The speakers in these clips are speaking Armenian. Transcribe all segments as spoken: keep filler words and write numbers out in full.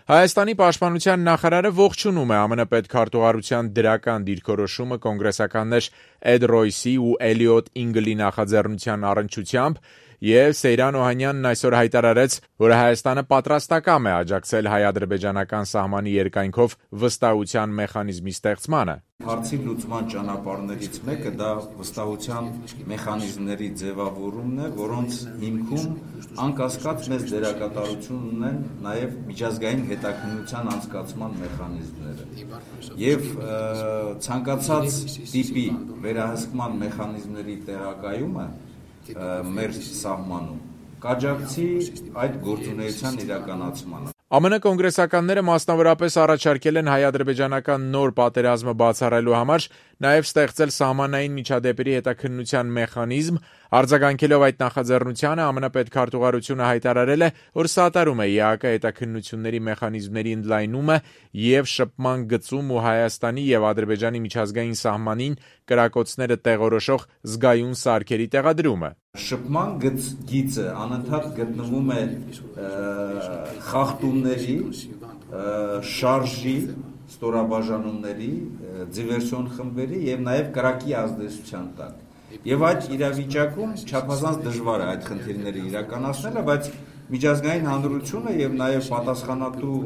Հայաստանի պաշտպանության նախարարը ողջունում է ԱՄՆ պետքարտուղարության դրական դիրքորոշումը կոնգրեսականներ Էդ Ռոյսի ու Էլիոտ Ինգլի նախաձեռնության առնչությամբ եւ Սեյրան Օհանյանն այսօր հայտարարեց, որ Հայաստանը պատրաստակամ է աջակցել հայ-ադրբեջանական սահմանի երկայնքով վստահության մեխանիզմի ստեղծմանը։ Հարցի լուծման ճանապարհներից մեկը դա վստահության մեխանիզմների ձևավորումն է, որոնց հիմքում անկասկած մեծ դերակատարություն ունեն նաև միջազգային հետաքննության անցկացման մեխանիզմները։ Եվ ցանկացած տիպի վերահսկման մեխանիզմների տեղակայումը մեր սահմանում կաջակցի այդ գործունեության իրականացմանը։ ԱՄՆ կոնգրեսականները մասնավորապես առաջարկել են հայ-ադրբեջանական նոր պատերազմը բացառելու համար նաև ստեղծել սահմանային միջադեպերի հետաքննության մեխանիզմ, արձագանքելով այդ նախաձեռնությանը ԱՄՆ պետքարտուղարությունը հայտարարել է, որ սատարում է ԵԱԿ հետաքննությունների մեխանիզմների ընդլայնումը եւ շփման գծում ու Հայաստանի եւ Ադրբեջանի միջազգային սահմանին կրակոցները տեղորոշող զգայուն սարքերի տեղադրումը։ Շփման գիծը անընդհատ գտնվում է խախտումների, շարժի, ստորաբաժանումների, դիվերսիոն խմբերի եւ նաեւ կրակի ազդեցության տակ։ Եվ այդ իրավիճակում չափազանց դժվար է այդ խնդիրները իրականացնելը, բայց միջազգային հանրությունը եւ նաեւ պատասխանատու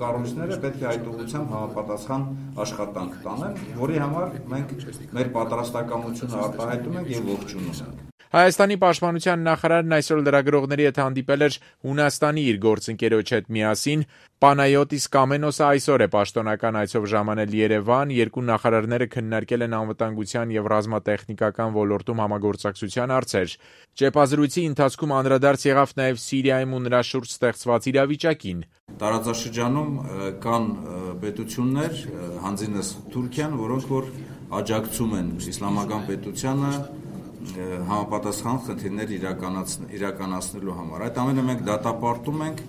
կառույցները պետք է այդ ուղղությամբ համապատասխան աշխատանք տանեն, որի համար մենք մեր պատրաստակամությունը արտահայտում ենք եւ ողջունում ենք։ Հայաստանի պաշտպանության նախարարն այսօր լրագրողների հետ հանդիպել էր Հունաստանի իր գործընկերոջ հետ միասին։ Պանայոտիս Կամենոսը այսօր է պաշտոնական այցով ժամանել Երևան, երկու նախարարները քննարկել են անվտանգության եւ ռազմատեխնիկական ոլորտում համագործակցության հարցեր։ Ճեպազրույցի ընթացքում անդրադարձ եղավ նաեւ Սիրիայում ու նրա շուրջ ստեղծված իրավիճակին։ Տարածաշրջանում կան պետություններ, հանձինս Թուրքիան, որոնք որ աջակցում են իսլամական պետությանը համապատասխան խնդիրներ իրականացնելու համար։ Այդ ամենը մենք դատապարտում ենք,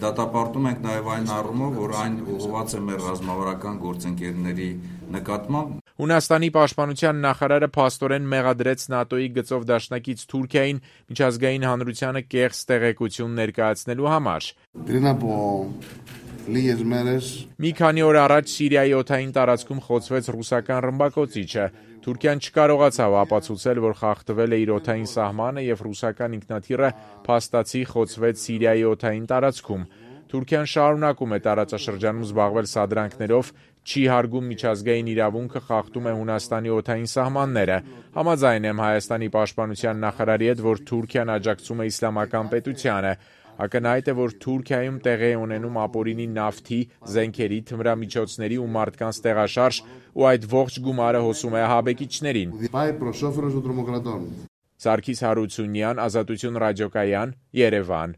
դատապարտում ենք նաև այն առումով, որ այն ուղղված է մեր ռազմավարական գործընկերների նկատմամբ։ Հունաստանի պաշտպանության նախարարը փաստորեն մեղադրեց ՆԱՏՕ-ի գծով դաշնակից Թուրքիային միջազգային հանրությանը կեղծ տեղեկություն ներկայացնելու համար։ Մի քանի օր առաջ Սիրիայի օդային տարածքում խոցվեց ռուսական ռմբակոծիչը։ Թուրքիան չկարողացավ ապացուցել, որ խախտվել է իր օդային սահմանը եւ ռուսական ինքնաթիռը փաստացի խոցվեց Սիրիայի օդային տարածքում։ Թուրքիան շարունակում է տարածաշրջանում զբաղվել սադրանքներով, չի հարգում միջազգային իրավունքը, խախտում է Հունաստանի օդային սահմանները։ Համաձայն եմ Հայաստանի պաշտպանության նախարարի հետ, որ Թուրքիան աջակցում է իսլամական պետությանը։ Ակնհայտ է, որ Թուրքիայում տեղի է ունենում ապօրինի նավթի, զենքերի, թմրամիջոցների ու մարդկանց տեղաշարժ ու այդ ողջ գումարը հոսում է ահաբեկիչներին։ Սարգիս Հարությունյան, Ազատություն ռադիոկայան, Երևան։